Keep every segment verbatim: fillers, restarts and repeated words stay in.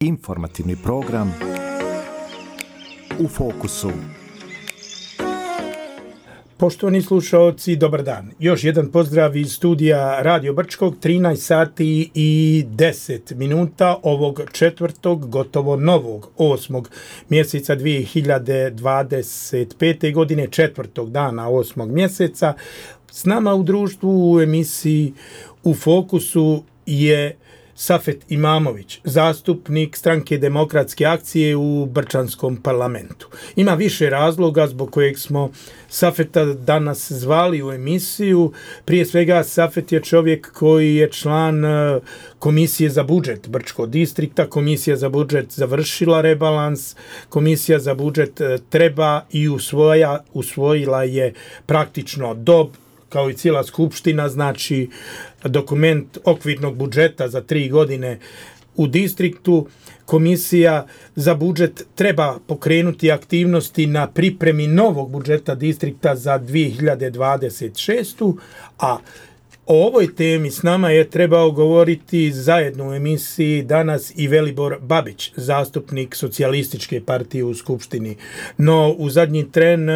Informativni program U fokusu. Poštovani slušaoci, dobar dan. Još jedan pozdrav iz studija Radio Brčkog, trinaest sati i deset minuta ovog četvrtog, gotovo novog, osmog mjeseca dvije hiljade dvadeset pete. godine, četvrtog dana osmog mjeseca. S nama u društvu u emisiji U fokusu je Safet Imamović, zastupnik Stranke demokratske akcije u Brčanskom parlamentu. Ima više razloga zbog kojeg smo Safeta danas zvali u emisiju. Prije svega, Safet je čovjek koji je član Komisije za budžet Brčkog distrikta. Komisija za budžet završila rebalans. Komisija za budžet treba i usvoja, usvojila je praktično dob, kao i cijela skupština, znači dokument okvirnog budžeta za tri godine u distriktu. Komisija za budžet treba pokrenuti aktivnosti na pripremi novog budžeta distrikta za dvije hiljade dvadeset šestu. a o ovoj temi s nama je trebao govoriti zajedno u emisiji danas i Velibor Babić, zastupnik Socijalističke partije u Skupštini. No, u zadnji tren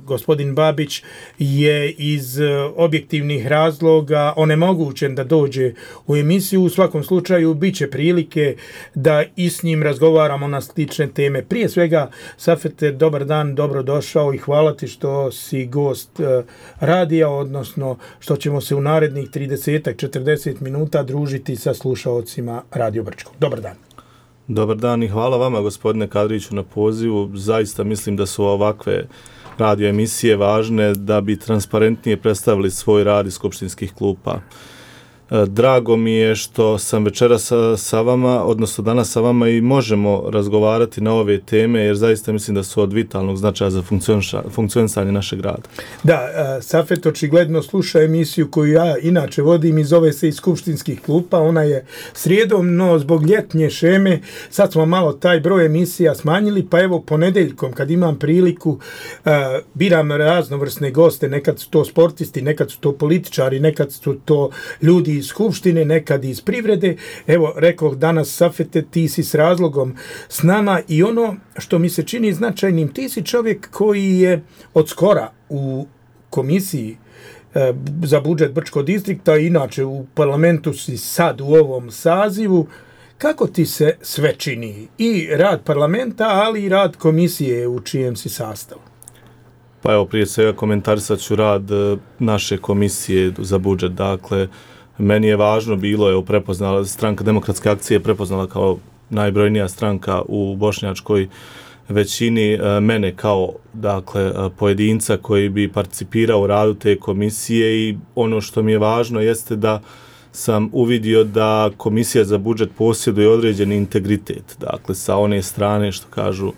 gospodin Babić je iz objektivnih razloga onemogućen da dođe u emisiju. U svakom slučaju, bit će prilike da i s njim razgovaramo na slične teme. Prije svega, Safete, dobar dan, dobrodošao i hvala ti što si gost radija, odnosno što ćemo se u narednih trideset do četrdeset minuta družiti sa slušaocima Radio Brčkog. Dobar dan. Dobar dan i hvala vama, gospodine Kadriću, na pozivu. Zaista mislim da su ovakve radio emisije važne da bi transparentnije predstavili svoj rad iz skupštinskih klupa. Drago mi je što sam večeras sa, sa vama, odnosno danas sa vama i možemo razgovarati na ove teme, jer zaista mislim da su od vitalnog značaja za funkcionisanje našeg rada. Da, Safet očigledno sluša emisiju koju ja inače vodim i zove se iz skupštinskih klupa. Ona je srijedom, no zbog ljetnje šeme sad smo malo taj broj emisija smanjili, pa evo ponedeljkom kad imam priliku biram raznovrsne goste, nekad su to sportisti, nekad su to političari, nekad su to ljudi iz skupštine, nekad iz privrede. Evo, rekoh danas, Safete, ti si s razlogom s nama i ono što mi se čini značajnim, ti si čovjek koji je od skora u komisiji e, za budžet Brčkog distrikta, inače u parlamentu si sad u ovom sazivu. Kako ti se sve čini? I rad parlamenta, ali i rad komisije u čijem si sastavu? Pa evo, prije svega komentarisat ću rad naše komisije za budžet. Dakle, meni je važno bilo, je prepoznala, Stranka demokratske akcije prepoznala kao najbrojnija stranka u bošnjačkoj većini mene kao, dakle, pojedinca koji bi participirao u radu te komisije, i ono što mi je važno jeste da sam uvidio da Komisija za budžet posjeduje određeni integritet. Dakle, sa one strane, što kažu,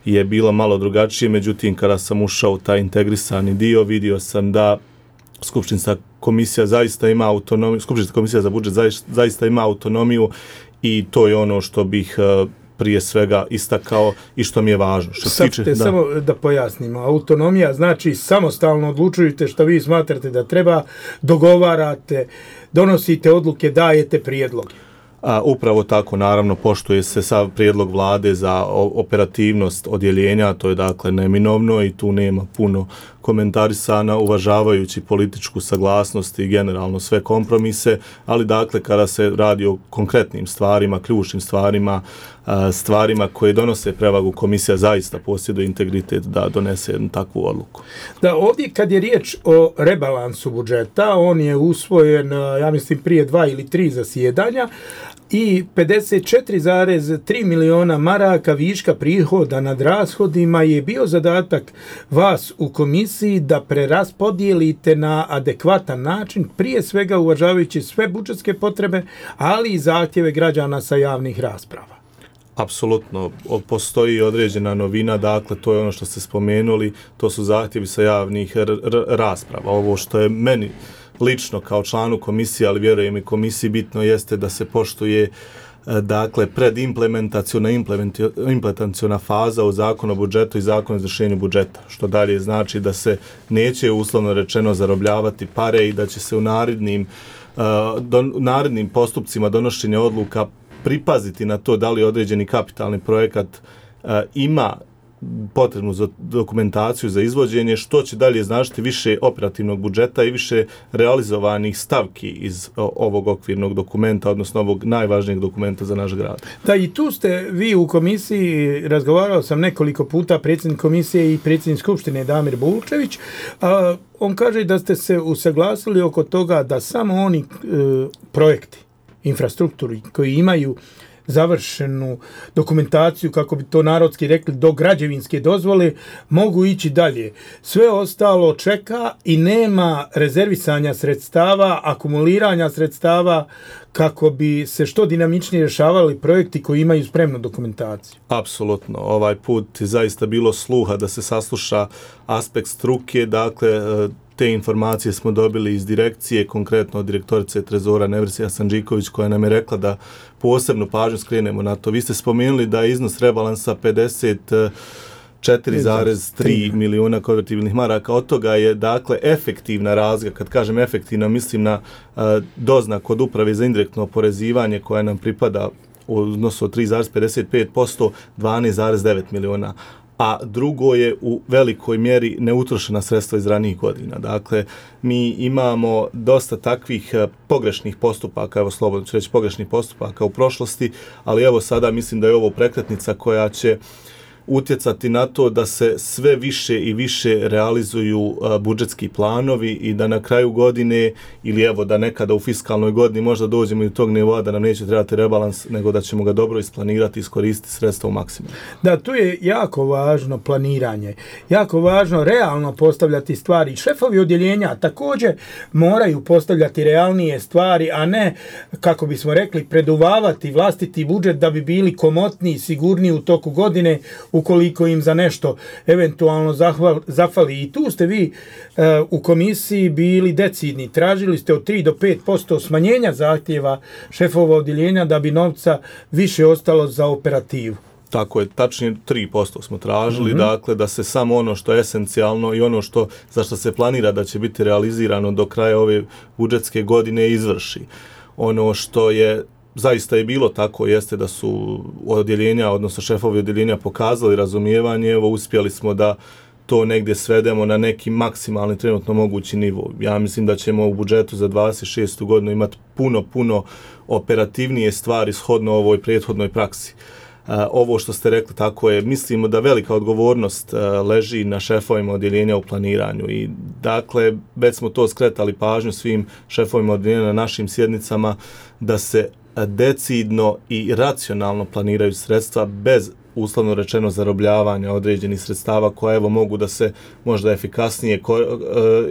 je bilo malo drugačije, međutim, kada sam ušao u taj integrisani dio, vidio sam da Skupštinska komisija zaista ima autonomiju, Skupštinska komisija za budžet zaista, zaista ima autonomiju, i to je ono što bih uh, prije svega istakao i što mi je važno. Što Sad tiče, te da. samo da pojasnimo. Autonomija znači samostalno odlučujete što vi smatrate da treba, dogovarate, donosite odluke, dajete prijedloge. A, upravo tako, naravno, poštuje se sav prijedlog vlade za operativnost odjeljenja, to je dakle neminovno i tu nema puno komentarisana, uvažavajući političku saglasnost i generalno sve kompromise, ali dakle kada se radi o konkretnim stvarima, ključnim stvarima, stvarima koje donose prevagu, komisija zaista posjeduje integritet da donese jednu takvu odluku. Da, ovdje kad je riječ o rebalansu budžeta, on je usvojen, ja mislim, prije dva ili tri zasjedanja, i pedeset četiri zarez tri miliona maraka viška prihoda nad rashodima je bio zadatak vas u komisiji da preraspodijelite na adekvatan način, prije svega uvažavajući sve budžetske potrebe, ali i zahtjeve građana sa javnih rasprava. Apsolutno, postoji određena novina, dakle to je ono što ste spomenuli, to su zahtjevi sa javnih r- r- rasprava. Ovo što je meni lično kao članu komisije, ali vjerujem i komisiji, bitno jeste da se poštuje dakle predimplementaciona implementaciona faza u zakonu o budžetu i zakonu o izvršenju budžeta, što dalje znači da se neće uslovno rečeno zarobljavati pare i da će se u narednim, uh, don, narednim postupcima donošenja odluka pripaziti na to da li određeni kapitalni projekat uh, ima potrebnu za dokumentaciju za izvođenje, što će dalje značiti više operativnog budžeta i više realizovanih stavki iz ovog okvirnog dokumenta, odnosno ovog najvažnijeg dokumenta za naš grad. Da, i tu ste vi u komisiji, razgovarao sam nekoliko puta, predsjednik komisije i predsjednik skupštine Damir Bulčević, a, on kaže da ste se usaglasili oko toga da samo oni e, projekti, infrastrukturi koji imaju završenu dokumentaciju, kako bi to narodski rekli, do građevinske dozvole, mogu ići dalje. Sve ostalo čeka i nema rezervisanja sredstava, akumuliranja sredstava kako bi se što dinamičnije rješavali projekti koji imaju spremnu dokumentaciju. Apsolutno. Ovaj put je zaista bilo sluha da se sasluša aspekt struke, dakle te informacije smo dobili iz direkcije, konkretno od direktorice Trezora Nevrsija Sanđiković, koja nam je rekla da posebno pažnju skrenemo na to. Vi ste spomenuli da je iznos rebalansa pedeset četiri zarez tri milijuna konvertibilnih maraka. Od toga je, dakle, efektivna razlika. Kad kažem efektivna, mislim na uh, doznak od uprave za indirektno oporezivanje koja nam pripada u odnosu od tri zarez pedeset pet posto, dvanaest zarez devet milijuna. A drugo je u velikoj mjeri neutrošena sredstva iz ranijih godina. Dakle, mi imamo dosta takvih pogrešnih postupaka, evo slobodno ću reći pogrešnih postupaka u prošlosti, ali evo sada mislim da je ovo prekretnica koja će utjecati na to da se sve više i više realizuju uh, budžetski planovi i da na kraju godine ili evo da nekada u fiskalnoj godini možda dođemo i do tog nivoa da nam neće trebati rebalans, nego da ćemo ga dobro isplanirati i iskoristiti sredstva u maksimumu. Da, tu je jako važno planiranje, jako važno realno postavljati stvari. Šefovi odjeljenja također moraju postavljati realnije stvari, a ne, kako bismo rekli, preduvavati vlastiti budžet da bi bili komotniji, sigurniji u toku godine, ukoliko im za nešto eventualno zahval, zafali. I tu ste vi e, u komisiji bili decidni. Tražili ste od tri do pet posto smanjenja zahtjeva šefova odjeljenja da bi novca više ostalo za operativu. Tako je, tačnije tri posto smo tražili, mm-hmm. dakle da se samo ono što je esencijalno i ono što, za što se planira da će biti realizirano do kraja ove budžetske godine izvrši. Ono što je zaista je bilo tako, jeste da su odjeljenja, odnosno šefovi odjeljenja pokazali razumijevanje, evo uspjeli smo da to negdje svedemo na neki maksimalni trenutno mogući nivo. Ja mislim da ćemo u budžetu za dvadeset šestu godinu imati puno, puno operativnije stvari shodno ovoj prethodnoj praksi. Uh, ovo što ste rekli tako je, mislimo da velika odgovornost uh, leži na šefovima odjeljenja u planiranju i dakle već smo to skretali pažnju svim šefovima odjeljenja na našim sjednicama da se decidno i racionalno planiraju sredstva bez uslovno rečeno zarobljavanja određenih sredstava koja evo mogu da se možda efikasnije,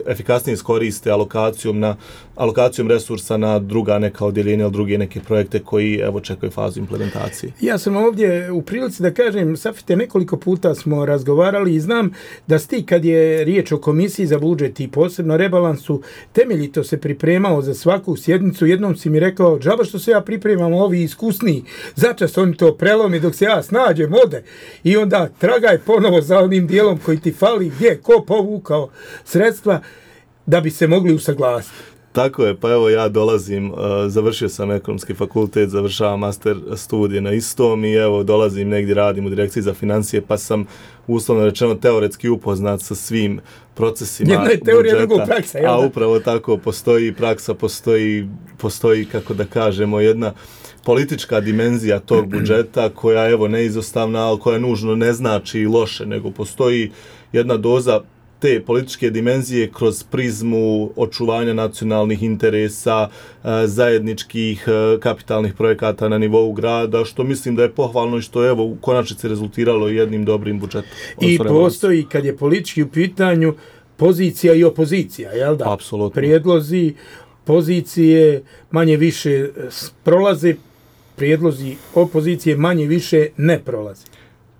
efikasnije iskoriste alokacijom, na, alokacijom resursa na druga neka odjeljenja ili druge neke projekte koji evo čekaju fazu implementacije. Ja sam ovdje u prilici da kažem, Safite, nekoliko puta smo razgovarali i znam da sti kad je riječ o komisiji za budžet i posebno rebalansu, temeljito se pripremao za svaku sjednicu. Jednom si mi rekao, džaba što se ja pripremam, ovi iskusniji, začas oni to prelomi dok se ja snađem, ode. I onda tragaj ponovo za onim dijelom koji ti fali, gdje, ko povukao sredstva da bi se mogli usaglasiti. Tako je, pa evo ja dolazim, uh, završio sam ekonomski fakultet, završavam master studije na istom i evo dolazim negdje, radim u direkciji za financije, pa sam uslovno rečeno teoretski upoznat sa svim procesima Jedna je teorija, drugo praksa. A upravo tako, postoji praksa, postoji, postoji, kako da kažemo, jedna politička dimenzija tog budžeta koja evo neizostavna, ali koja nužno ne znači loše, nego postoji jedna doza te političke dimenzije kroz prizmu očuvanja nacionalnih interesa, zajedničkih kapitalnih projekata na nivou grada, što mislim da je pohvalno i što je evo u konačnici rezultiralo jednim dobrim budžetom. I postoji, kad je politički u pitanju, pozicija i opozicija, jel da? Apsolutno. Prijedlozi, pozicije manje više prolaze, prijedlozi opozicije manje više ne prolaze.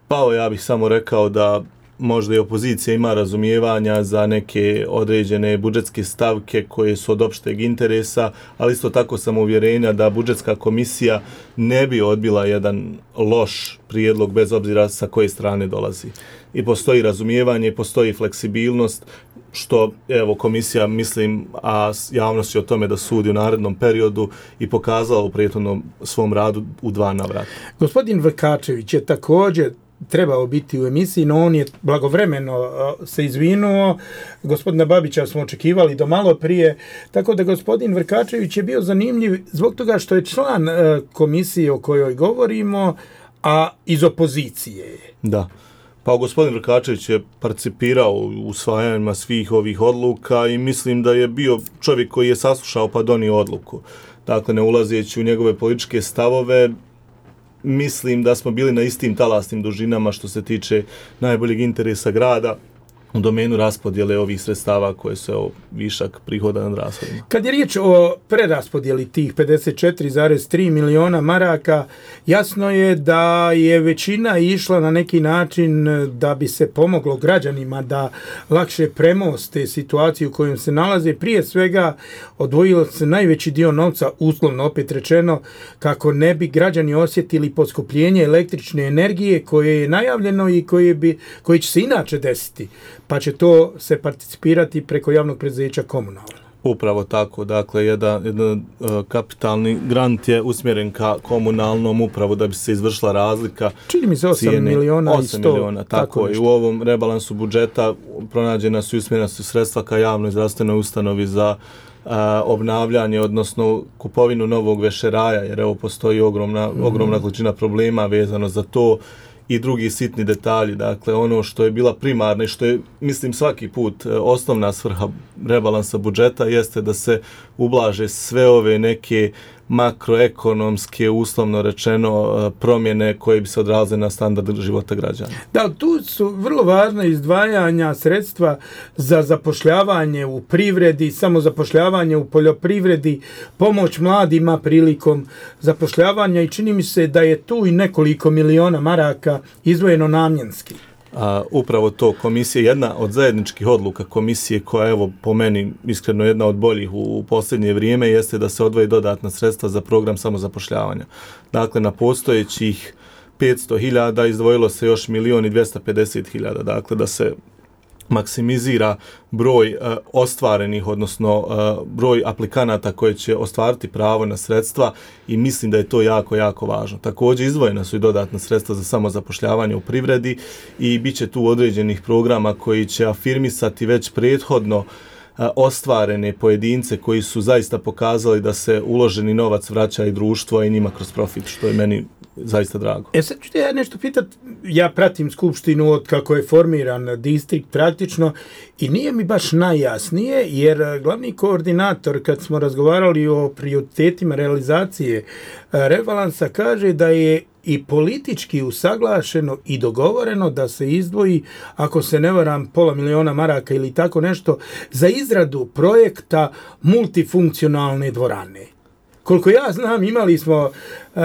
Pa ja bih samo rekao da možda i opozicija ima razumijevanja za neke određene budžetske stavke koje su od opšteg interesa, ali isto tako sam uvjerenja da budžetska komisija ne bi odbila jedan loš prijedlog bez obzira sa koje strane dolazi. I postoji razumijevanje, postoji fleksibilnost, što evo komisija, mislim, a javnost će o tome da sudi u narednom periodu i pokazala u prethodnom svom radu u dva navrata. Gospodin Vrkačević je također trebao biti u emisiji, no on je blagovremeno se izvinuo. Gospodina Babića smo očekivali do malo prije, tako da gospodin Vrkačević je bio zanimljiv zbog toga što je član komisije o kojoj govorimo, a iz opozicije. Da. Pa gospodin Vrkačević je participirao u usvajanjima svih ovih odluka i mislim da je bio čovjek koji je saslušao pa donio odluku. Dakle, ne ulazeći u njegove političke stavove, mislim da smo bili na istim talasnim dužinama što se tiče najboljeg interesa grada u domenu raspodjele ovih sredstava koje su evo, višak prihoda nad rashodima. Kad je riječ o preraspodjeli tih pedeset četiri zarez tri miliona maraka, jasno je da je većina išla na neki način da bi se pomoglo građanima da lakše premoste situaciju u kojoj se nalaze. Prije svega odvojilo se najveći dio novca, uslovno opet rečeno, kako ne bi građani osjetili poskupljenje električne energije koje je najavljeno i koje, bi, koje će se inače desiti, pa će to se participirati preko javnog preduzeća komunalno. Upravo tako, dakle, jedan, jedan uh, kapitalni grant je usmjeren ka komunalnom upravu da bi se izvršila razlika. Čini mi se osam miliona i sto. Miliona, tako, tako i u ovom rebalansu budžeta pronađena su i usmjerena su sredstva ka javnoj zdravstvenoj ustanovi za uh, obnavljanje, odnosno kupovinu novog vešeraja, jer evo postoji ogromna, mm. ogromna količina problema vezano za to i drugi sitni detalji. Dakle, ono što je bila primarna i što je, mislim, svaki put osnovna svrha rebalansa budžeta jeste da se ublaže sve ove neke makroekonomske, uslovno rečeno, promjene koje bi se odrazile na standard života građana. Da, tu su vrlo važna izdvajanja sredstva za zapošljavanje u privredi, samo zapošljavanje u poljoprivredi, pomoć mladima prilikom zapošljavanja i čini mi se da je tu i nekoliko miliona maraka izdvojeno namjenski. A, upravo to, komisija, jedna od zajedničkih odluka komisije koja, evo, po meni iskreno jedna od boljih u, u posljednje vrijeme, jeste da se odvoji dodatna sredstva za program samozapošljavanja. Dakle, na postojećih petsto hiljada izdvojilo se još milion i dvjesto pedeset hiljada, dakle, da se maksimizira broj uh, ostvarenih, odnosno uh, broj aplikanata koji će ostvariti pravo na sredstva i mislim da je to jako, jako važno. Također izdvojena su i dodatna sredstva za samozapošljavanje u privredi i bit će tu određenih programa koji će afirmisati već prethodno uh, ostvarene pojedince koji su zaista pokazali da se uloženi novac vraća i društvo i njima kroz profit, što je meni zaista drago. E sad ću te ja nešto pitat, ja pratim skupštinu od kako je formiran distrikt praktično i nije mi baš najjasnije, jer glavni koordinator kad smo razgovarali o prioritetima realizacije rebalansa kaže da je i politički usaglašeno i dogovoreno da se izdvoji, ako se ne varam, pola miliona maraka ili tako nešto, za izradu projekta multifunkcionalne dvorane. Koliko ja znam, imali smo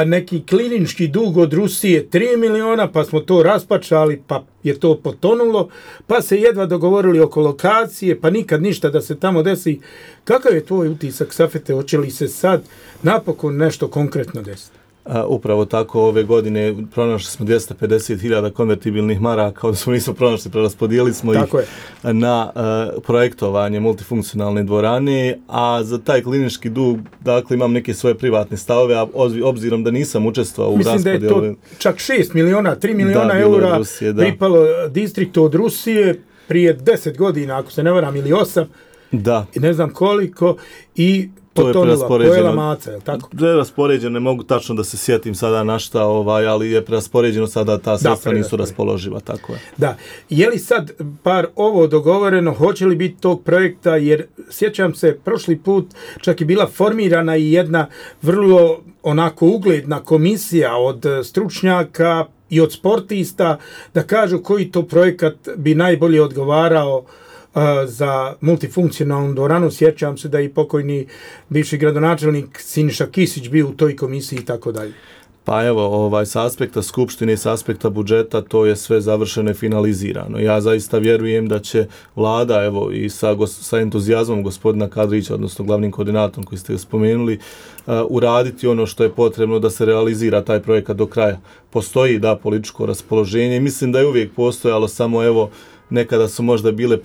neki klinički dug od Rusije tri miliona, pa smo to raspačali, pa je to potonulo, pa se jedva dogovorili oko lokacije, pa nikad ništa da se tamo desi. Kakav je tvoj utisak, Safete, hoće li se sad napokon nešto konkretno desiti? A, upravo tako, ove godine pronašli smo dvjesto pedeset hiljada konvertibilnih maraka, odnosno nismo pronašli, preraspodijelili smo tako ih je. na uh, projektovanje multifunkcionalne dvorane, a za taj klinički dug, dakle, imam neke svoje privatne stavove, a obzirom da nisam učestvovao u raspodijelu. Mislim da je to čak šest miliona, tri miliona eura Rusije, pripalo distriktu od Rusije prije deset godina, ako se ne varam, ili osam, da. I ne znam koliko, i to je preraspoređeno. Maca, je li tako? Preraspoređeno, ne mogu tačno da se sjetim sada na šta, ovaj, ali je preraspoređeno sada, ta sredstva nisu raspoloživa, tako je. Da. Je li sad par ovo dogovoreno, hoće li biti tog projekta, jer sjećam se, prošli put čak je bila formirana i jedna vrlo onako ugledna komisija od stručnjaka i od sportista da kažu koji to projekat bi najbolje odgovarao za multifunkcionalnu dvoranu. Sjećam se da i pokojni bivši gradonačelnik Siniša Kisić bio u toj komisiji i tako dalje. Pa evo, ovaj, s aspekta Skupštine i s aspekta budžeta to je sve završeno i finalizirano. Ja zaista vjerujem da će vlada, evo i sa, sa entuzijazmom gospodina Kadrića, odnosno glavnim koordinatorom koji ste spomenuli, uh, uraditi ono što je potrebno da se realizira taj projekat do kraja. Postoji, da, političko raspoloženje i mislim da je uvijek postojalo, samo evo, nekada su možda bile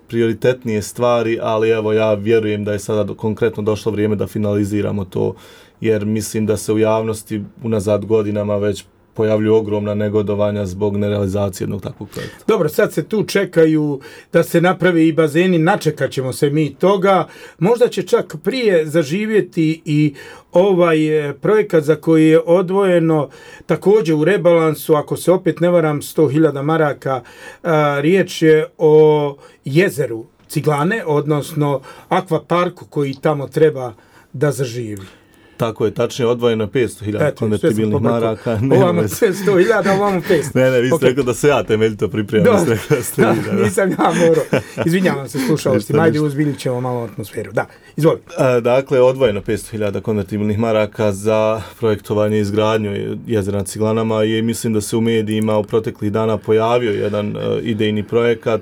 prioritetnije stvari, ali evo ja vjerujem da je sada do, konkretno došlo vrijeme da finaliziramo to, jer mislim da se u javnosti unazad godinama već pojavljuju ogromna negodovanja zbog nerealizacije jednog takvog projekta. Dobro, sad se tu čekaju da se napravi i bazeni, načekat ćemo se mi toga. Možda će čak prije zaživjeti i ovaj projekat za koji je odvojeno također u rebalansu, ako se opet ne varam, sto hiljada maraka. A, riječ je o jezeru Ciglane, odnosno akvaparku koji tamo treba da zaživi. Tako je, tačnije odvojeno petsto hiljada konvertibilnih maraka. Ovamo sto hiljada, ovamo petsto. Ne, ne, vi ste okay. rekao da se ja temeljito pripremam. Da, da, da, nisam ja morao. Izvinjavam se slušalci, majde uzbiljit ćemo malo atmosferu. Da, izvoli. A, dakle, odvojeno petsto hiljada konvertibilnih maraka za projektovanje i izgradnju jezera na Ciglanama i mislim da se u medijima u proteklih dana pojavio jedan uh, idejni projekat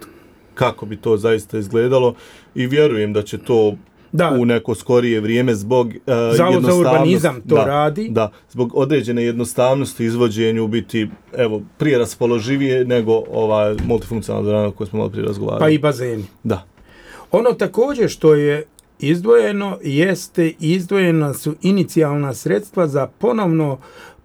kako bi to zaista izgledalo i vjerujem da će to da. u neko skorije vrijeme zbog uh, Zavod za urbanizam to da, radi. Da, zbog određene jednostavnosti izvođenju biti evo prije raspoloživije nego ova multifunkcionalna dvorana koju smo malo prije razgovarali. Pa i bazeni. Da. Ono također što je izdvojeno jeste izdvojena su inicijalna sredstva za ponovno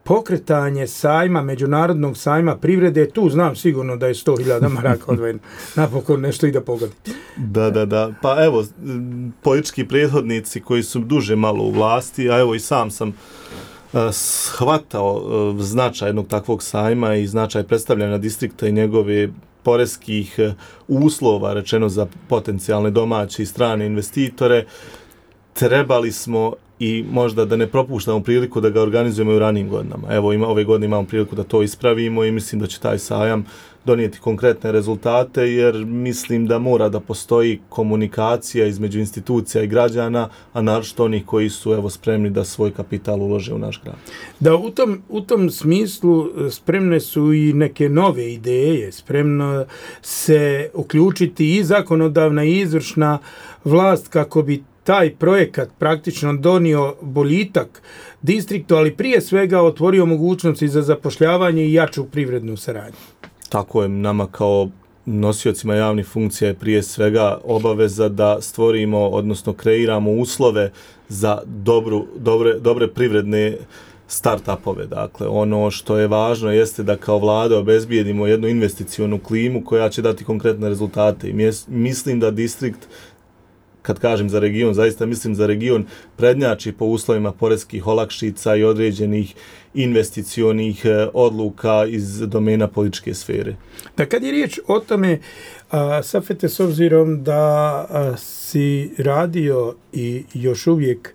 pokretanje sajma, međunarodnog sajma privrede. Tu znam sigurno da je sto hiljada maraka odvojeno. Napokon nešto i da pogodi. Da, da, da. Pa evo, politički prethodnici koji su duže malo u vlasti, a evo i sam sam uh, shvatao uh, značaj jednog takvog sajma i značaj predstavljanja distrikta i njegove poreskih uh, uslova, rečeno za potencijalne domaće i strane investitore, trebali smo i možda da ne propuštamo priliku da ga organizujemo u ranijim godinama. Evo, ima, ove godine imamo priliku da to ispravimo i mislim da će taj sajam donijeti konkretne rezultate, jer mislim da mora da postoji komunikacija između institucija i građana, a naročito onih koji su evo spremni da svoj kapital ulože u naš grad. Da, u tom, u tom smislu spremne su i neke nove ideje, spremno se uključiti i zakonodavna i izvršna vlast kako bi taj projekat praktično donio boljitak distriktu, ali prije svega otvorio mogućnosti za zapošljavanje i jaču privrednu saradnju. Tako je, nama kao nosiocima javnih funkcija je prije svega obaveza da stvorimo, odnosno kreiramo uslove za dobru, dobre, dobre privredne start-upove. Dakle, ono što je važno jeste da kao vlada obezbijedimo jednu investicionu klimu koja će dati konkretne rezultate. I mislim da distrikt, kad kažem za region, zaista mislim za region, prednjači po uslovima poreskih olakšica i određenih investicionih odluka iz domena političke sfere. Da, kad je riječ o tome, a, Safete, s obzirom da a, si radio i još uvijek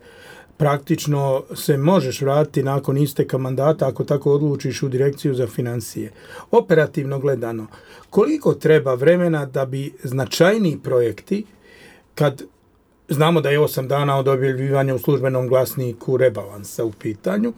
praktično se možeš vratiti nakon isteka mandata, ako tako odlučiš, u direkciju za financije. Operativno gledano, koliko treba vremena da bi značajniji projekti, kad znamo da je osam dana od objavljivanja u službenom glasniku rebalansa u pitanju,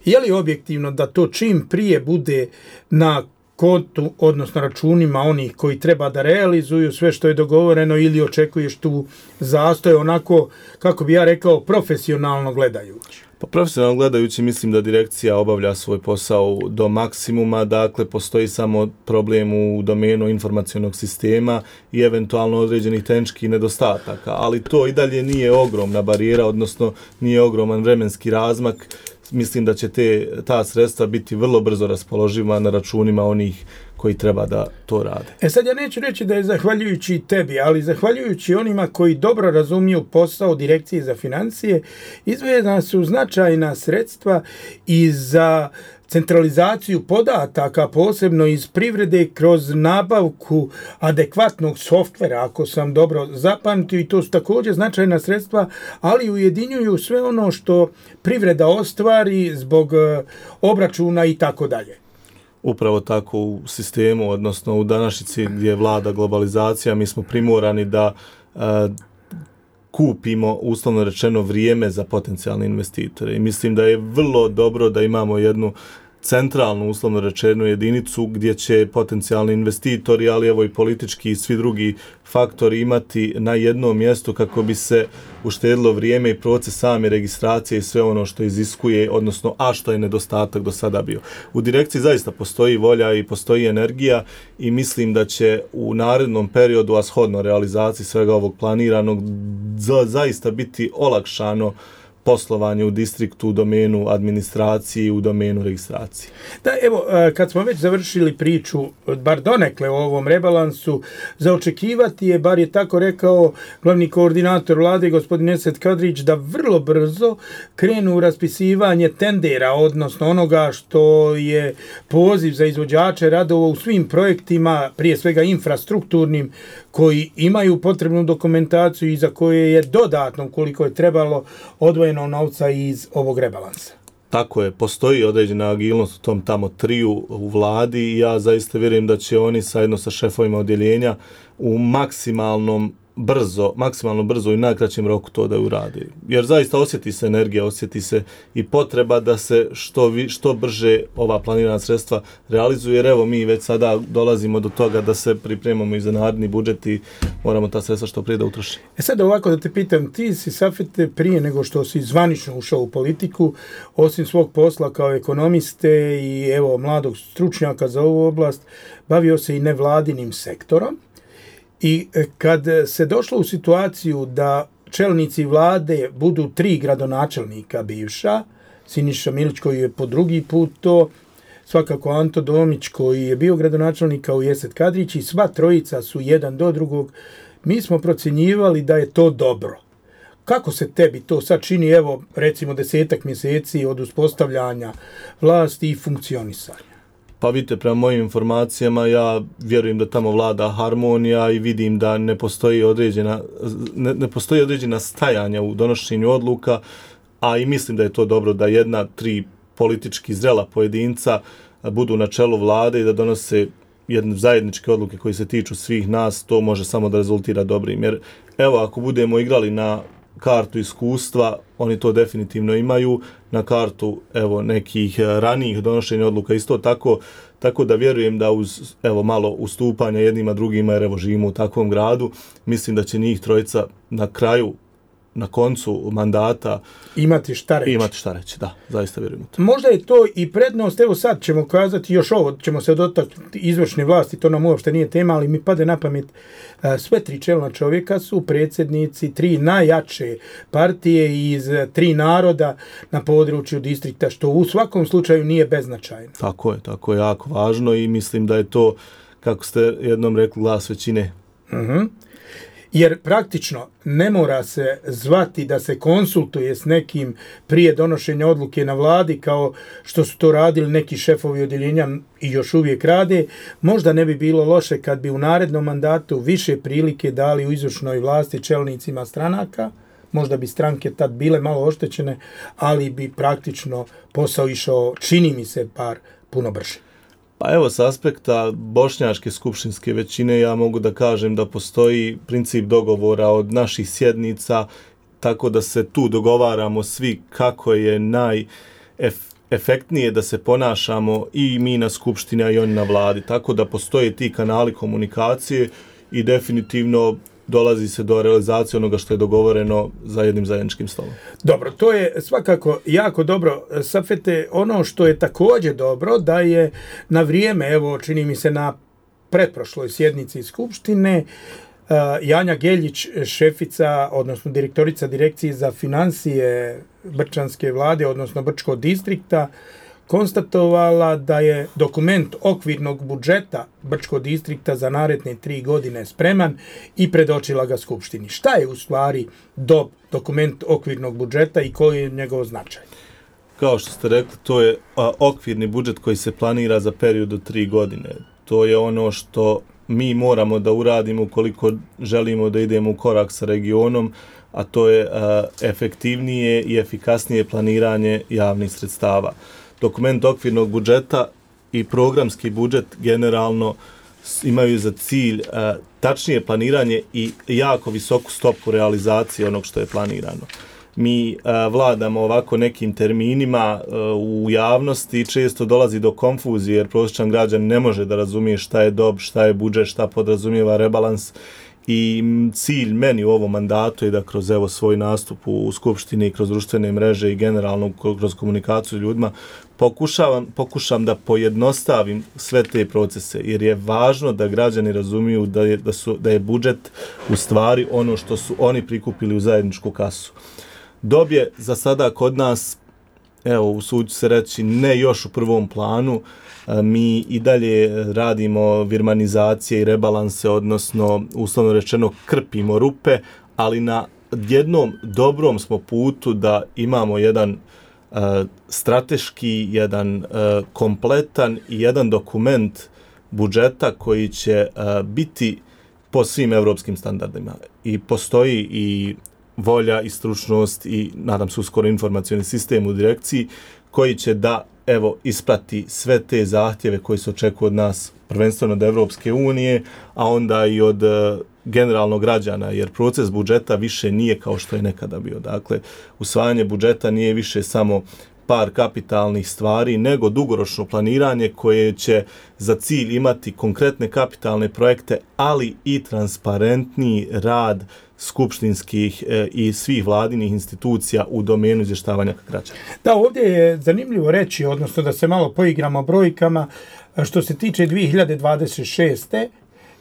je li objektivno da to čim prije bude na kontu, odnosno računima onih koji treba da realizuju sve što je dogovoreno, ili očekuješ tu zastoj onako, kako bi ja rekao, profesionalno gledajući? Pa profesionalno gledajući mislim da direkcija obavlja svoj posao do maksimuma, dakle postoji samo problem u domenu informacionog sistema i eventualno određenih tehničkih nedostataka, ali to i dalje nije ogromna barijera, odnosno nije ogroman vremenski razmak. Mislim da će te, ta sredstva biti vrlo brzo raspoloživa na računima onih koji treba da to rade. E sad ja neću reći da je zahvaljujući tebi, ali zahvaljujući onima koji dobro razumiju posao Direkcije za financije, izdvojena su značajna sredstva i za centralizaciju podataka, posebno iz privrede, kroz nabavku adekvatnog softvera, ako sam dobro zapamtio, i to su također značajna sredstva, ali ujedinjuju sve ono što privreda ostvari zbog obračuna i tako dalje. Upravo tako u sistemu, odnosno u današnjici gdje vlada globalizacija, mi smo primorani da uh, kupimo, uslovno rečeno, vrijeme za potencijalne investitore. I mislim da je vrlo dobro da imamo jednu centralnu, uslovno rečenu, jedinicu gdje će potencijalni investitori, ali evo i politički i svi drugi faktori imati na jednom mjestu kako bi se uštedilo vrijeme i proces same registracije i sve ono što iziskuje, odnosno a što je nedostatak do sada bio. U direkciji zaista postoji volja i postoji energija i mislim da će u narednom periodu, a shodno realizaciji svega ovog planiranog, za, zaista biti olakšano poslovanje u distriktu, u domenu administracije, u domenu registracije. Da, evo, kad smo već završili priču, bar donekle o ovom rebalansu, za očekivati je, bar je tako rekao glavni koordinator vlade, gospodin Esad Kadrić, da vrlo brzo krenu u raspisivanje tendera, odnosno onoga što je poziv za izvođače radova u svim projektima, prije svega infrastrukturnim, koji imaju potrebnu dokumentaciju i za koje je dodatno, koliko je trebalo, odvojeno novca iz ovog rebalansa. Tako je, postoji određena agilnost u tom tamo triju u vladi i ja zaista vjerujem da će oni zajedno sa šefovima odjeljenja u maksimalnom brzo, maksimalno brzo i najkraćem roku to da uradi. Jer zaista osjeti se energija, osjeti se i potreba da se što, vi, što brže ova planirana sredstva realizuje, jer evo mi već sada dolazimo do toga da se pripremamo i za naredni budžet i moramo ta sredstva što prije da utrošimo. E sad ovako da te pitam, ti si, Safete, prije nego što si zvanično ušao u politiku, osim svog posla kao ekonomiste i evo mladog stručnjaka za ovu oblast, bavio se i nevladinim sektorom. I kad se došlo u situaciju da čelnici vlade budu tri gradonačelnika bivša, Siniša Milić koji je po drugi put to, svakako Anto Domić koji je bio gradonačelnik kao i Esad Kadrić i sva trojica su jedan do drugog, mi smo procjenjivali da je to dobro. Kako se tebi to sad čini, evo recimo desetak mjeseci od uspostavljanja vlasti i funkcionisanja? Pa vidite, prema mojim informacijama, ja vjerujem da tamo vlada harmonija i vidim da ne postoji određena, ne, ne postoji određena stajanja u donošenju odluka, a i mislim da je to dobro da jedna, tri politički zrela pojedinca budu na čelu vlade i da donose jedne zajedničke odluke koje se tiču svih nas, to može samo da rezultira dobrim. Jer evo, ako budemo igrali na kartu iskustva, oni to definitivno imaju, na kartu evo nekih ranijih donošenja odluka isto tako, tako da vjerujem da uz evo malo ustupanja jednima drugima, jer evo živimo u takvom gradu, mislim da će njih trojica na kraju, na koncu mandata imati šta reći. Imati šta reći, da, zaista vjerujem u to. Možda je to i prednost, evo sad ćemo kazati još ovo, ćemo se dotaknuti izvršne vlasti, to nam uopšte nije tema, ali mi pade na pamet, sve tri čelna čovjeka su predsjednici tri najjače partije iz tri naroda na području distrikta, što u svakom slučaju nije beznačajno. Tako je, tako je, jako važno i mislim da je to, kako ste jednom rekli, glas većine. Mhm. Jer praktično ne mora se zvati da se konsultuje s nekim prije donošenja odluke na vladi kao što su to radili neki šefovi odjeljenja i još uvijek rade. Možda ne bi bilo loše kad bi u narednom mandatu više prilike dali u izvršnoj vlasti čelnicima stranaka. Možda bi stranke tad bile malo oštećene, ali bi praktično posao išao, čini mi se, par puno brže. Pa evo, s aspekta bošnjačke skupštinske većine ja mogu da kažem da postoji princip dogovora od naših sjednica, tako da se tu dogovaramo svi kako je najefektnije da se ponašamo i mi na skupštini, a i oni na vladi. Tako da postoje ti kanali komunikacije i definitivno dolazi se do realizacije onoga što je dogovoreno za jednim zajedničkim stolom. Dobro, to je svakako jako dobro. Safete, ono što je također dobro, da je na vrijeme, evo čini mi se na pretprošloj sjednici Skupštine, Janja Geljić, šefica, odnosno direktorica direkcije za financije Brčanske vlade, odnosno Brčkog distrikta, konstatovala da je dokument okvirnog budžeta Brčkog distrikta za naredne tri godine spreman i predočila ga Skupštini. Šta je u stvari do dokument okvirnog budžeta i koji je njegov značaj? Kao što ste rekli, to je a, okvirni budžet koji se planira za period od tri godine. To je ono što mi moramo da uradimo ukoliko želimo da idemo u korak sa regionom, a to je a, efektivnije i efikasnije planiranje javnih sredstava. Dokument okvirnog budžeta i programski budžet generalno imaju za cilj uh, tačnije planiranje i jako visoku stopu realizacije onog što je planirano. Mi uh, vladamo ovako nekim terminima uh, u javnosti i često dolazi do konfuzije jer prosječan građan ne može da razumije šta je dob, šta je budžet, šta podrazumijeva rebalans. I cilj meni u ovom mandatu je da kroz evo svoj nastup u Skupštini, kroz društvene mreže i generalno kroz komunikaciju s ljudima pokušavam, pokušam da pojednostavim sve te procese jer je važno da građani razumiju da je, da su, da je budžet u stvari ono što su oni prikupili u zajedničku kasu. Dob je za sada kod nas, evo usuđu se reći, ne još u prvom planu. Mi i dalje radimo virmanizacije i rebalanse, odnosno uslovno rečeno krpimo rupe, ali na jednom dobrom smo putu da imamo jedan uh, strateški, jedan uh, kompletan i jedan dokument budžeta koji će uh, biti po svim evropskim standardima. I postoji i volja i stručnost i nadam se uskoro informacioni sistem u direkciji koji će da evo isprati sve te zahtjeve koji se očekuju od nas, prvenstveno od Evropske unije, a onda i od uh, generalno građana, jer proces budžeta više nije kao što je nekada bio. Dakle, usvajanje budžeta nije više samo par kapitalnih stvari, nego dugoročno planiranje koje će za cilj imati konkretne kapitalne projekte, ali i transparentni rad skupštinskih e, i svih vladinih institucija u domenu izvještavanja građana. Da, ovdje je zanimljivo reći, odnosno da se malo poigramo brojkama, što se tiče dvije hiljade dvadeset šeste.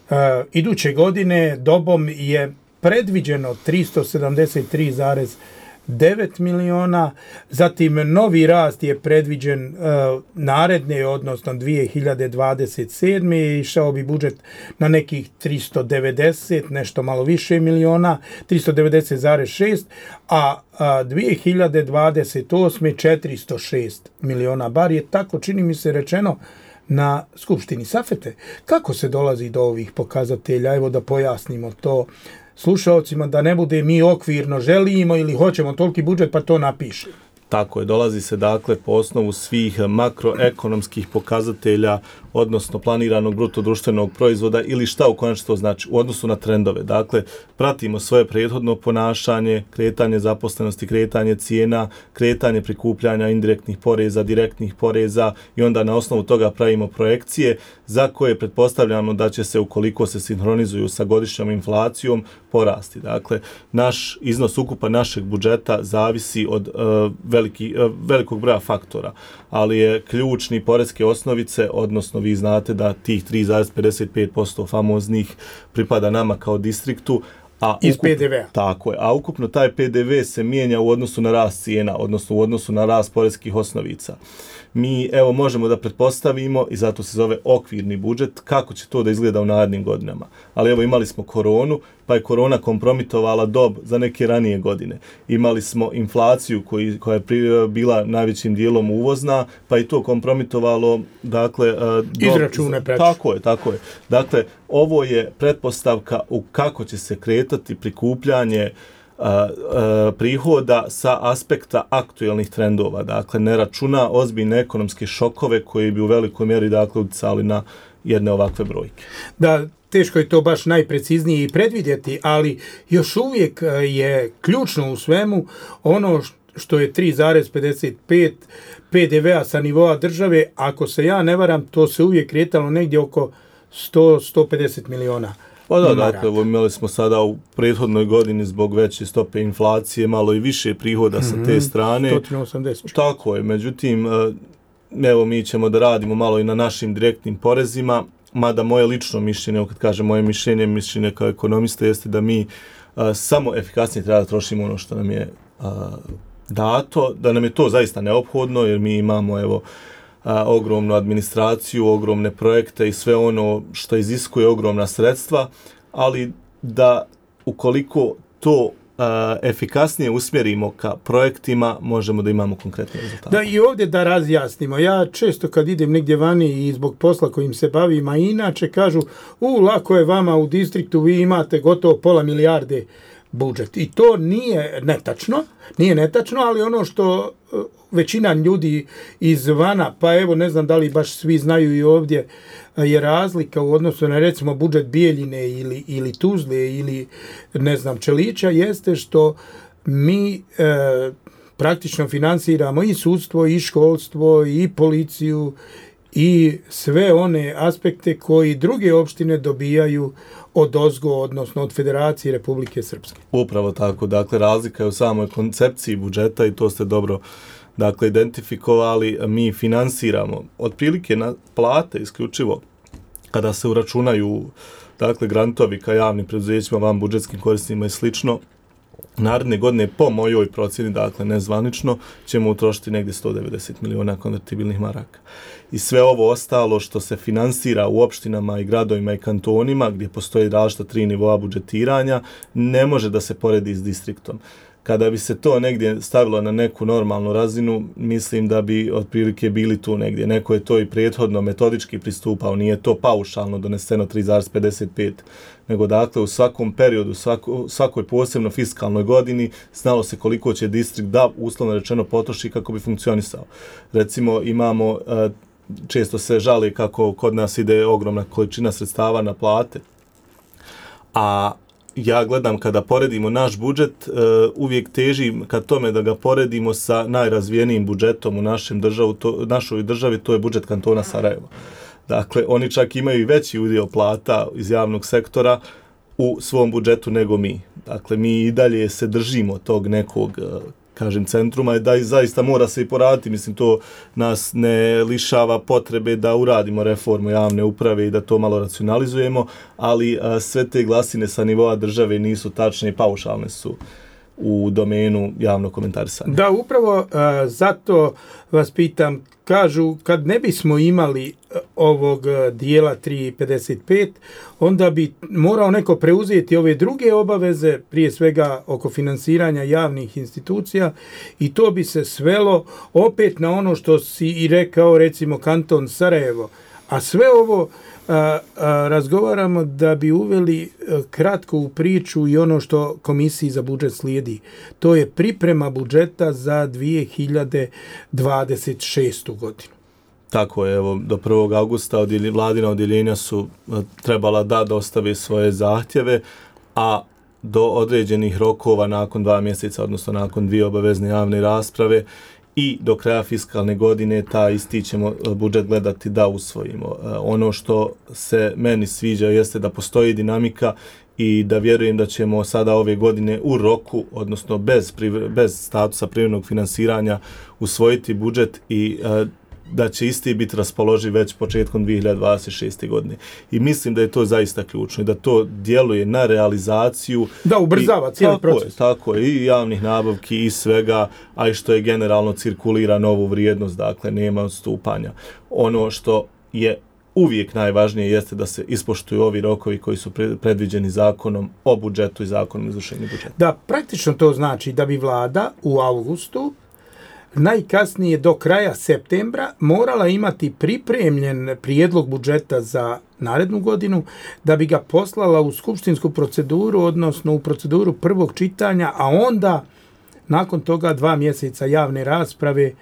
Uh, iduće godine dobom je predviđeno tristo sedamdeset tri zarez devet miliona, zatim novi rast je predviđen uh, naredne, odnosno dvije hiljade dvadeset sedme. Išao bi budžet na nekih tristo devedeset, nešto malo više miliona, tristo devedeset zarez šest, a, a dvije hiljade dvadeset osme četiristo šest miliona, bar je tako, čini mi se, rečeno na Skupštini. Safete, kako se dolazi do ovih pokazatelja? Evo da pojasnimo to slušalcima, da ne bude mi okvirno želimo ili hoćemo toliki budžet pa to napiše. Tako je, dolazi se dakle po osnovu svih makroekonomskih pokazatelja, odnosno planiranog bruto društvenog proizvoda ili šta u konačnici to znači u odnosu na trendove. Dakle, pratimo svoje prethodno ponašanje, kretanje zaposlenosti, kretanje cijena, kretanje prikupljanja indirektnih poreza, direktnih poreza i onda na osnovu toga pravimo projekcije za koje pretpostavljamo da će se, ukoliko se sinhronizuju sa godišnjom inflacijom, porasti. Dakle, naš iznos ukupa našeg budžeta zavisi od uh, veliki, uh, velikog broja faktora, ali je ključni poreske osnovice, odnosno vi znate da tih tri zarez pedeset pet posto famoznih pripada nama kao distriktu, a iz ukupno, P D V-a. Tako je, a ukupno taj P D V se mijenja u odnosu na rast cijena, odnosno u odnosu na rast poreskih osnovica. Mi evo možemo da pretpostavimo, i zato se zove okvirni budžet, kako će to da izgleda u narednim godinama. Ali evo imali smo koronu, pa je korona kompromitovala dob za neke ranije godine. Imali smo inflaciju koji, koja je bila najvećim dijelom uvozna, pa i to kompromitovalo, dakle, dob, izračune preći. Tako je, tako je. Dakle, ovo je pretpostavka u kako će se kretati prikupljanje A, a, prihoda sa aspekta aktuelnih trendova. Dakle, ne računa ozbiljne ekonomske šokove koji bi u velikoj mjeri, dakle, utjecali na jedne ovakve brojke. Da, teško je to baš najpreciznije i predvidjeti, ali još uvijek je ključno u svemu ono što je tri zarez pedeset pet P D V-a sa nivoa države. Ako se ja ne varam, to se uvijek kretalo negdje oko sto do sto pedeset miliona. Pa da, dakle, imali smo sada u prethodnoj godini zbog veće stope inflacije malo i više prihoda mm-hmm. sa te strane. sto osamdeset. Tako je, međutim, evo mi ćemo da radimo malo i na našim direktnim porezima, mada moje lično mišljenje, kad kažem moje mišljenje, mišljenje kao ekonomista jeste da mi a, samo efikasnije treba da trošimo ono što nam je a, dato, da nam je to zaista neophodno, jer mi imamo, evo, A, ogromnu administraciju, ogromne projekte i sve ono što iziskuje ogromna sredstva, ali da ukoliko to a, efikasnije usmjerimo ka projektima, možemo da imamo konkretne rezultate. Da, i ovdje da razjasnimo. Ja često kad idem negdje vani i zbog posla kojim se bavim, a inače kažu, u, lako je vama u distriktu, vi imate gotovo pola milijarde budžet. I to nije netačno, nije netačno, ali ono što većina ljudi izvana, pa evo ne znam da li baš svi znaju i ovdje, je razlika u odnosu na recimo budžet Bijeljine ili, ili Tuzle ili ne znam Čelića, jeste što mi e, praktično finansiramo i sudstvo, i školstvo, i policiju, i sve one aspekte koji druge opštine dobijaju od ozgo, odnosno od Federacije Republike Srpske. Upravo tako, dakle razlika je u samoj koncepciji budžeta i to ste dobro dakle identifikovali. Mi finansiramo otprilike na plate isključivo kada se uračunaju dakle grantovi ka javnim preduzećima, van budžetskim korisnicima i slično. Naredne godine po mojoj procjeni, dakle nezvanično, ćemo utrošiti negdje sto devedeset miliona konvertibilnih maraka. I sve ovo ostalo što se finansira u opštinama i gradovima i kantonima, gdje postoji različita tri nivoa budžetiranja, ne može da se poredi s distriktom. Kada bi se to negdje stavilo na neku normalnu razinu, mislim da bi otprilike bili tu negdje. Neko je to i prethodno metodički pristupao, nije to paušalno doneseno tri zarez pedeset pet, nego dakle u svakom periodu, svako, svakoj posebno fiskalnoj godini znalo se koliko će distrikt da uslovno rečeno potroši kako bi funkcionisao. Recimo imamo, često se žali kako kod nas ide ogromna količina sredstava na plate, a ja gledam kada poredimo naš budžet, uh, uvijek težim ka tome da ga poredimo sa najrazvijenijim budžetom u našem državu, to, našoj državi, to je budžet kantona Sarajevo. Dakle, oni čak imaju i veći udio plata iz javnog sektora u svom budžetu nego mi. Dakle, mi i dalje se držimo tog nekog, uh, kažem, centruma i da i zaista mora se i poraditi. Mislim, to nas ne lišava potrebe da uradimo reformu javne uprave i da to malo racionalizujemo, ali a, sve te glasine sa nivoa države nisu tačne i paušalne su u domenu javnog komentarisanja. Da, upravo a, zato vas pitam, kažu kad ne bismo imali ovog dijela tri pedeset pet, onda bi morao neko preuzeti ove druge obaveze, prije svega oko finansiranja javnih institucija, i to bi se svelo opet na ono što si i rekao, recimo kanton Sarajevo. A sve ovo a, a, razgovaramo da bi uveli a, kratko u priču i ono što komisiji za budžet slijedi. To je priprema budžeta za dvije hiljade dvadeset šestu godinu. Tako je, evo, do prvog augusta odjeli, vladina odjeljenja su trebala da dostave svoje zahtjeve, a do određenih rokova nakon dva mjeseca, odnosno nakon dvije obavezne javne rasprave i do kraja fiskalne godine ta isti ćemo budžet gledati da usvojimo. Ono što se meni sviđa jeste da postoji dinamika i da vjerujem da ćemo sada ove godine u roku, odnosno bez, bez statusa privremenog finansiranja, usvojiti budžet i da će isti biti raspoloživ već početkom dvije hiljade dvadeset šeste. godine. I mislim da je to zaista ključno i da to djeluje na realizaciju. Da, ubrzava i, cijeli tako proces. Je, tako je, i javnih nabavki i svega, a i što je generalno cirkulira novu vrijednost, dakle nema odstupanja. Ono što je uvijek najvažnije jeste da se ispoštuju ovi rokovi koji su predviđeni zakonom o budžetu i zakonom o izvršenju budžeta. Da, praktično to znači da bi vlada u avgustu najkasnije do kraja septembra morala imati pripremljen prijedlog budžeta za narednu godinu da bi ga poslala u skupštinsku proceduru, odnosno u proceduru prvog čitanja, a onda nakon toga dva mjeseca javne rasprave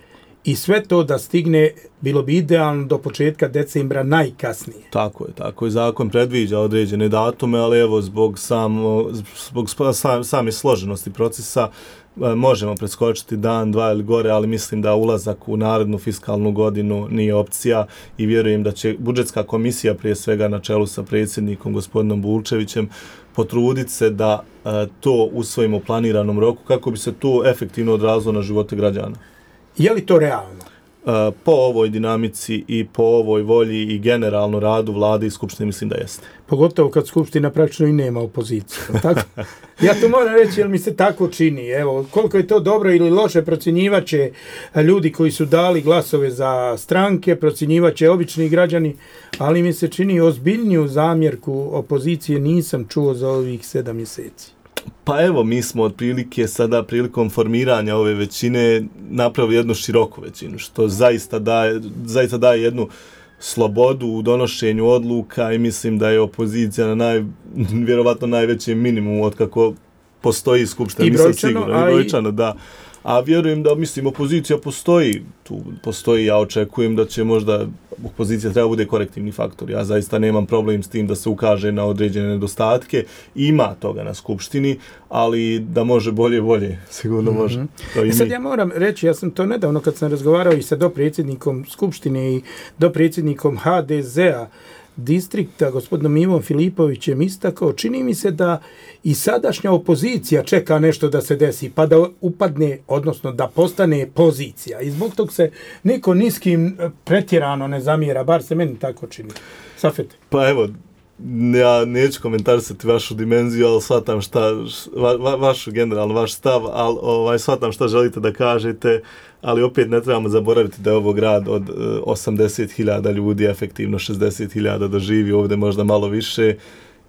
i sve to da stigne, bilo bi idealno do početka decembra najkasnije. Tako je, tako je. Zakon predviđa određene datume, ali evo zbog, samo, zbog sam, same složenosti procesa možemo preskočiti dan, dva ili gore, ali mislim da ulazak u narednu fiskalnu godinu nije opcija i vjerujem da će budžetska komisija, prije svega na čelu sa predsjednikom gospodinom Bulčevićem, potruditi se da to usvojimo u planiranom roku kako bi se to efektivno odrazilo na živote građana. Je li to realno? Po ovoj dinamici i po ovoj volji i generalno radu vlade i skupštine mislim da jeste. Pogotovo kad skupština praktično i nema opoziciju. Tako? Ja to moram reći jer mi se tako čini. Evo, koliko je to dobro ili loše procjenjivaće ljudi koji su dali glasove za stranke, procjenjivaće obični građani, ali mi se čini ozbiljniju zamjerku opozicije nisam čuo za ovih sedam mjeseci. Pa evo, mi smo otprilike sada prilikom formiranja ove većine napravili jednu široku većinu, što zaista daje, zaista daje jednu slobodu u donošenju odluka i mislim da je opozicija na naj, vjerovatno najvećem minimumu od kako postoji skupština, nisam siguran, i brojčano, da. A vjerujem da, mislim, opozicija postoji, tu postoji, ja očekujem da će možda opozicija treba bude korektivni faktor. Ja zaista nemam problem s tim da se ukaže na određene nedostatke, ima toga na skupštini, ali da može bolje, bolje, sigurno može. Mm-hmm. To i sad mi. Ja moram reći, ja sam to nedavno kad sam razgovarao i sa dopredsjednikom skupštine i dopredsjednikom ha de zea distrikta, gospodinom Ivom Filipovićem, istakao, čini mi se da i sadašnja opozicija čeka nešto da se desi, pa da upadne, odnosno da postane pozicija. I zbog tog se niko niskim pretjerano ne zamjera, bar se meni tako čini. Safet. Pa evo, ja neću komentarisati vašu dimenziju, ali shvatam šta, va, va, vašu generalno, vaš stav, ali ovaj, shvatam šta želite da kažete, ali opet ne trebamo zaboraviti da je ovo grad od uh, osamdeset hiljada ljudi, efektivno šezdeset hiljada da živi ovdje, možda malo više,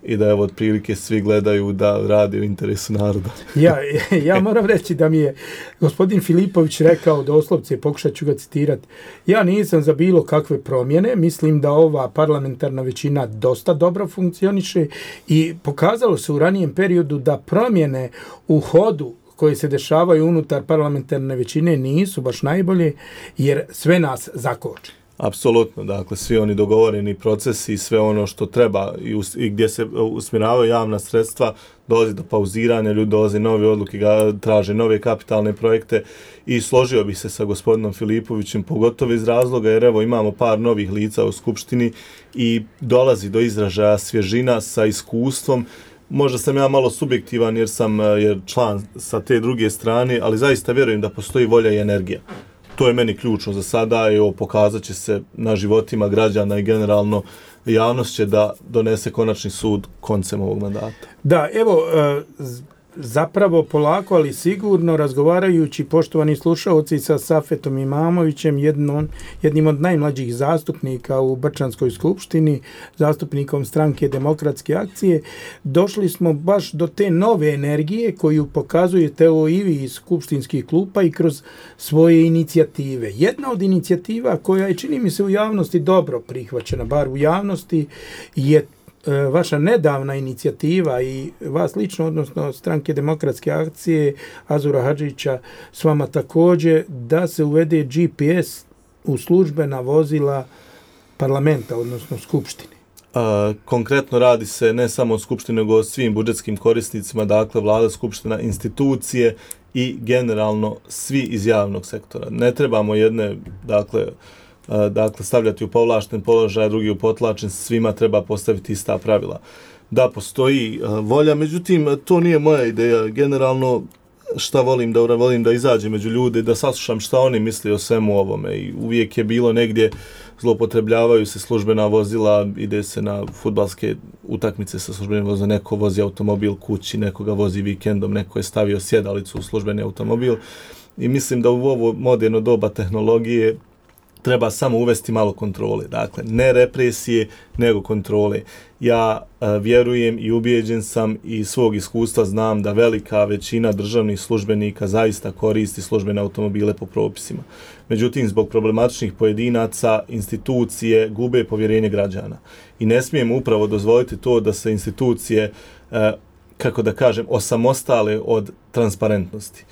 i da evo otprilike svi gledaju da radi u interesu naroda. ja, ja moram reći da mi je gospodin Filipović rekao, doslovce, pokušat ću ga citirati, ja nisam za bilo kakve promjene, mislim da ova parlamentarna većina dosta dobro funkcioniše i pokazalo se u ranijem periodu da promjene u hodu koje se dešavaju unutar parlamentarne većine nisu baš najbolje, jer sve nas zakoči. Apsolutno, dakle, svi oni dogovoreni procesi i sve ono što treba i, us, i gdje se usmjeravaju javna sredstva, dolazi do pauziranja, ljudi dolaze nove odluke, ga traže nove kapitalne projekte i složio bih se sa gospodinom Filipovićem, pogotovo iz razloga jer evo imamo par novih lica u skupštini i dolazi do izražaja svježina sa iskustvom. Možda sam ja malo subjektivan jer sam jer član sa te druge strane, ali zaista vjerujem da postoji volja i energija. To je meni ključno za sada i ovo pokazat će se na životima građana i generalno javnost će da donese konačni sud koncem ovog mandata. Da, evo, zapravo polako, ali sigurno, razgovarajući, poštovani slušalci, sa Safetom Imamovićem, jednom, jednim od najmlađih zastupnika u Brčanskoj skupštini, zastupnikom stranke Demokratske akcije, došli smo baš do te nove energije koju pokazujete evo i vi iz skupštinskih klupa i kroz svoje inicijative. Jedna od inicijativa koja je, čini mi se, u javnosti dobro prihvaćena, bar u javnosti, je vaša nedavna inicijativa i vas lično, odnosno stranke Demokratske akcije, Azura Hadžića, s vama također, da se uvede G P S u službena vozila parlamenta, odnosno skupštine. A, konkretno radi se ne samo o skupštini, nego o svim budžetskim korisnicima, dakle vlada, skupština, institucije i generalno svi iz javnog sektora. Ne trebamo jedne, dakle, dakle stavljati u povlašten položaj, drugi u potlačen, svima treba postaviti ista pravila. Da, postoji volja, međutim, to nije moja ideja. Generalno, šta volim da volim da izađem među ljude, da saslušam šta oni misle o svemu ovome. I uvijek je bilo negdje, zloupotrebljavaju se službena vozila, ide se na fudbalske utakmice sa službenim vozilom, neko vozi automobil kući, neko ga vozi vikendom, neko je stavio sjedalicu u službeni automobil. I mislim da u ovo moderno doba tehnologije treba samo uvesti malo kontrole. Dakle, ne represije, nego kontrole. Ja a, vjerujem i ubijeđen sam i iz svog iskustva znam da velika većina državnih službenika zaista koristi službene automobile po propisima. Međutim, zbog problematičnih pojedinaca, institucije gube povjerenje građana. I ne smijemo upravo dozvoliti to da se institucije, a, kako da kažem, osamostale od transparentnosti.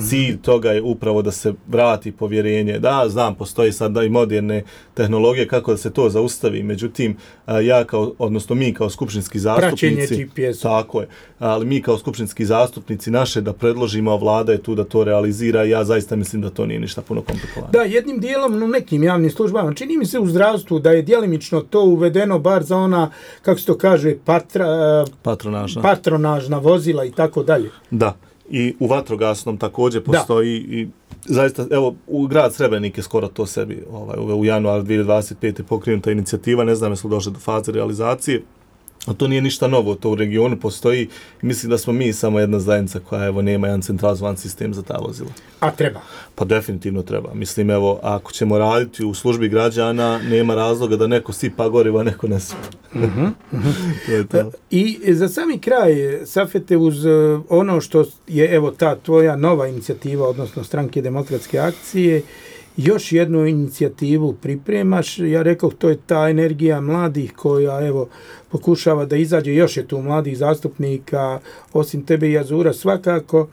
Cilj toga je upravo da se vrati povjerenje. Da, znam, postoji sad da i moderne tehnologije kako da se to zaustavi. Međutim, ja kao, odnosno mi kao skupštinski zastupnici, G P S. tako je, ali mi kao skupštinski zastupnici naše da predložimo, a vlada je tu da to realizira i ja zaista mislim da to nije ništa puno komplikovano. Da, jednim dijelom u nekim javnim službama, čini mi se u zdravstvu da je djelimično to uvedeno bar za ona, kako se to kaže, patra, patronažna. patronažna vozila i tako dalje. Da. I u vatrogasnom također postoji da. I zaista, evo, u grad Srebrenik je skoro to sebi ovaj, u januaru dvije tisuće dvadeset pete pokrenuta inicijativa, ne znam jesu li došli do faze realizacije, a to nije ništa novo, to u regionu postoji i mislim da smo mi samo jedna zajednica koja evo nema jedan centralizovan sistem za ta vozila. A treba? Pa definitivno treba. Mislim, evo, ako ćemo raditi u službi građana, nema razloga da neko sipa goriva, neko ne sipa. Uh-huh, uh-huh. I za sami kraj, Safete, uz ono što je evo ta tvoja nova inicijativa, odnosno stranke Demokratske akcije, još jednu inicijativu pripremaš. Ja rekao, to je ta energija mladih koja evo pokušava da izađe, još je tu mladih zastupnika, osim tebe i Azura svakako,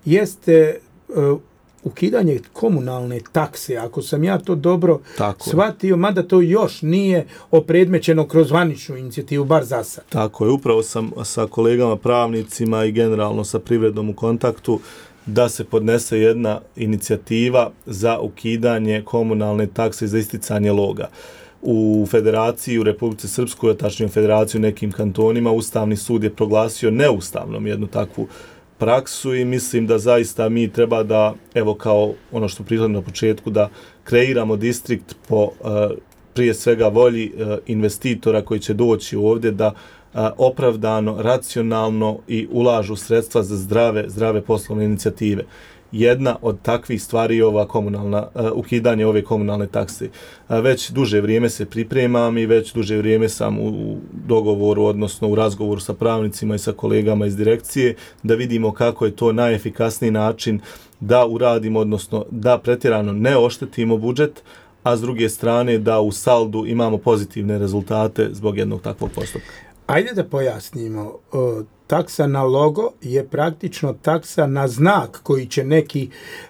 jeste uh, ukidanje komunalne takse, ako sam ja to dobro Tako shvatio, mada to još nije opredmećeno kroz zvaničnu inicijativu, bar za sad. Tako je, upravo sam sa kolegama pravnicima i generalno sa privredom u kontaktu da se podnese jedna inicijativa za ukidanje komunalne takse za isticanje loga. U Federaciji, u Republici Srpskoj, tačnije u Federaciji u nekim kantonima, Ustavni sud je proglasio neustavnom jednu takvu praksu i mislim da zaista mi treba da, evo kao ono što prihodimo na početku, da kreiramo distrikt po uh, prije svega volji uh, investitora koji će doći ovdje da uh, opravdano, racionalno i ulažu sredstva za zdrave, zdrave poslovne inicijative. Jedna od takvih stvari je ova komunalna, uh, ukidanje ove komunalne takse. Uh, već duže vrijeme se pripremam i već duže vrijeme sam u dogovoru, odnosno u razgovoru sa pravnicima i sa kolegama iz direkcije, da vidimo kako je to najefikasniji način da uradimo, odnosno da pretjerano ne oštetimo budžet, a s druge strane da u saldu imamo pozitivne rezultate zbog jednog takvog postupka. Ajde da pojasnimo. Taksa na logo je praktično taksa na znak koji će neki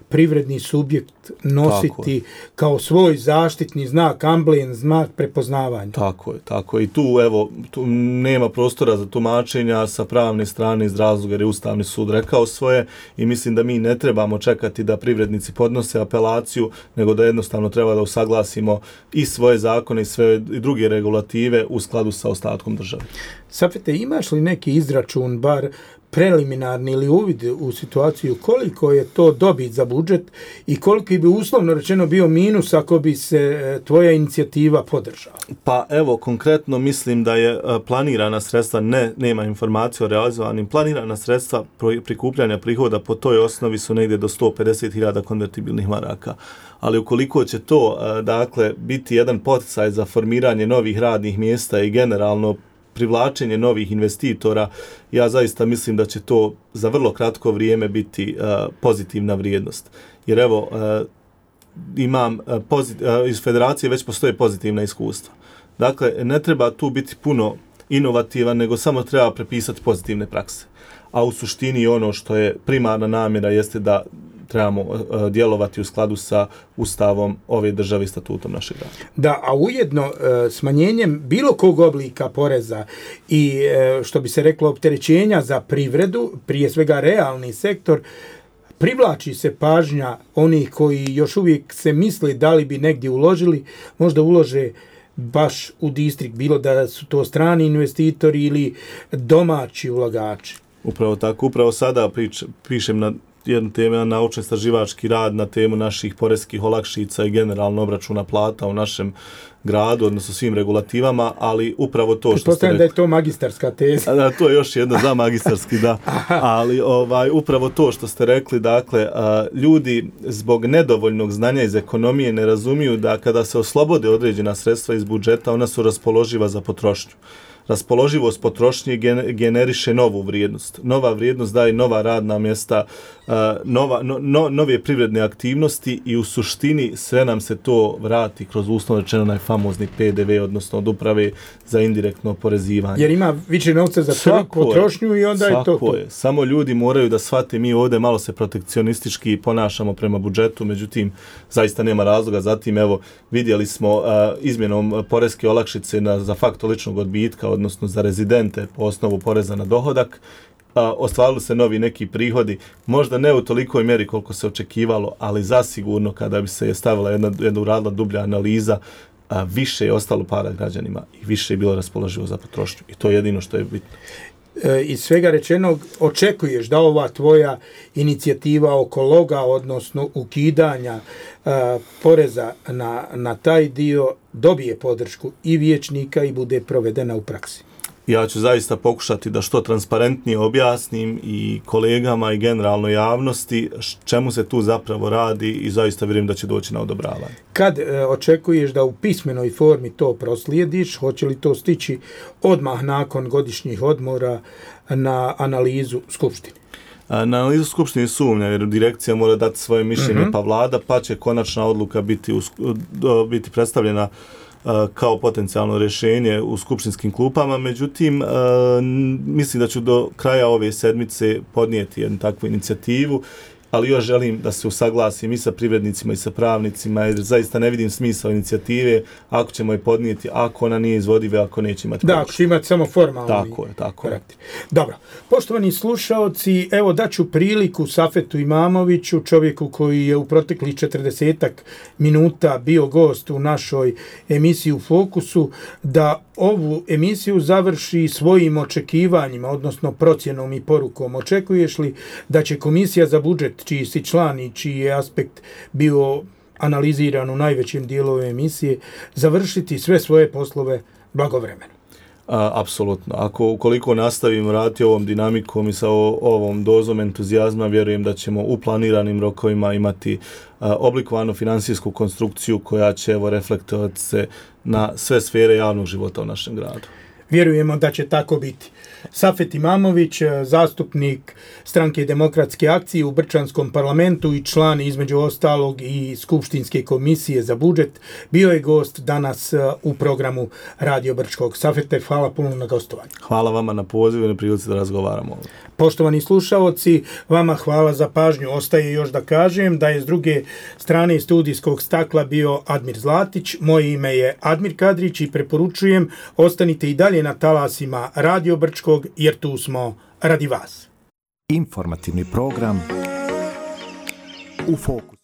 privredni subjekt nositi kao svoj zaštitni znak, amblem, znak prepoznavanja. Tako je, tako je. I tu, evo, tu nema prostora za tumačenja sa pravne strane iz razloga jer je Ustavni sud rekao svoje i mislim da mi ne trebamo čekati da privrednici podnose apelaciju, nego da jednostavno treba da usaglasimo i svoje zakone i sve i druge regulative u skladu sa ostatkom države. Safete, imaš li neki izračun, bar preliminarni ili uvid u situaciju koliko je to dobit za budžet i koliki bi uslovno rečeno bio minus ako bi se tvoja inicijativa podržala? Pa evo, konkretno mislim da je planirana sredstva, ne, nema informacije o realizovanim, planirana sredstva prikupljanja prihoda po toj osnovi su negdje do sto pedeset hiljada konvertibilnih maraka. Ali ukoliko će to, dakle, biti jedan poticaj za formiranje novih radnih mjesta i generalno privlačenje novih investitora, ja zaista mislim da će to za vrlo kratko vrijeme biti uh, pozitivna vrijednost. Jer evo, uh, imam uh, pozit, uh, iz Federacije već postoje pozitivna iskustva. Dakle, ne treba tu biti puno inovativan, nego samo treba prepisati pozitivne prakse. A u suštini ono što je primarna namjera jeste da trebamo uh, djelovati u skladu sa Ustavom ove države i statutom našeg grada. Da, a ujedno uh, smanjenjem bilo kog oblika poreza i uh, što bi se reklo opterećenja za privredu, prije svega realni sektor, privlači se pažnja onih koji još uvijek se misli da li bi negdje uložili, možda ulože baš u distrikt, bilo da su to strani investitori ili domaći ulagači. Upravo tako, upravo sada prič, pišem na jednu temu, na naučno-istraživački rad na temu naših poreskih olakšica i generalno obračuna plata u našem gradu, odnosno svim regulativama, ali upravo to što ste rekli. Da je to magistarska teza. Da, to je još jedna za magistarski, da. Ali ovaj, upravo to što ste rekli, dakle, a, ljudi zbog nedovoljnog znanja iz ekonomije ne razumiju da kada se oslobode određena sredstva iz budžeta, ona su raspoloživa za potrošnju. Raspoloživost potrošnje generiše novu vrijednost. Nova vrijednost daje nova radna mjesta, nova, no, no, nove privredne aktivnosti i u suštini sve nam se to vrati kroz uslovno rečeno onaj famozni P D V, odnosno od uprave za indirektno oporezivanje. Jer ima više novca za svaku potrošnju i onda je to to. Je. Samo ljudi moraju da shvate, mi ovdje malo se protekcionistički ponašamo prema budžetu, međutim, zaista nema razloga. Zatim, evo, vidjeli smo uh, izmjenom poreske olakšice na, za faktor ličnog odbitka, odnosno za rezidente po osnovu poreza na dohodak, a, ostvarili se novi neki prihodi, možda ne u tolikoj mjeri koliko se očekivalo, ali zasigurno kada bi se stavila jedna, jedna uradila dublja analiza, a, više je ostalo para građanima i više je bilo raspoloživo za potrošnju. I to je jedino što je bitno. E, iz svega rečenog, očekuješ da ova tvoja inicijativa oko loga, odnosno ukidanja a, poreza na, na taj dio, dobije podršku i vijećnika i bude provedena u praksi? Ja ću zaista pokušati da što transparentnije objasnim i kolegama i generalnoj javnosti čemu se tu zapravo radi i zaista vjerujem da će doći na odobravanje. Kad e, očekuješ da u pismenoj formi to proslijediš, hoće li to stići odmah nakon godišnjih odmora na analizu Skupštine? Na analizu Skupštine sumnja, jer direkcija mora dati svoje mišljenje, mm-hmm. pa vlada, pa će konačna odluka biti, u, biti predstavljena kao potencijalno rješenje u skupštinskim klupama. Međutim, mislim da ću do kraja ove sedmice podnijeti jednu takvu inicijativu, ali još želim da se usaglasim i sa privrednicima i sa pravnicima, jer zaista ne vidim smisla inicijative ako ćemo je podnijeti, ako ona nije izvodiva, ako neće imati da, ako će imati samo formalni tako je, tako karakter. Dobro, poštovani slušaoci, evo daću priliku Safetu Imamoviću, čovjeku koji je u proteklih četrdesetak minuta bio gost u našoj emisiji U fokusu, da ovu emisiju završi svojim očekivanjima, odnosno procjenom i porukom. Očekuješ li da će Komisija za budžet, čiji si član i čiji je aspekt bio analiziran u najvećem dijelu ove emisije, završiti sve svoje poslove blagovremeno? A, apsolutno. Ako ukoliko nastavimo raditi ovom dinamikom i sa o, ovom dozom entuzijazma, vjerujem da ćemo u planiranim rokovima imati a, oblikovanu finansijsku konstrukciju koja će evo reflektovati se na sve sfere javnog života u našem gradu. Vjerujemo da će tako biti. Safet Imamović, zastupnik Stranke demokratske akcije u Brčanskom parlamentu i član između ostalog i Skupštinske komisije za budžet, bio je gost danas u programu Radio Brčkog. Safete, hvala puno na gostovanju. Hvala vama na pozivu i na prilici da razgovaramo ovdje. Poštovani slušaoci, vama hvala za pažnju. Ostaje još da kažem da je s druge strane studijskog stakla bio Admir Zlatić. Moje ime je Admir Kadrić i preporučujem ostanite i dalje na talasima Radio Brčkog jer tu smo radi vas. Informativni program U fokusu.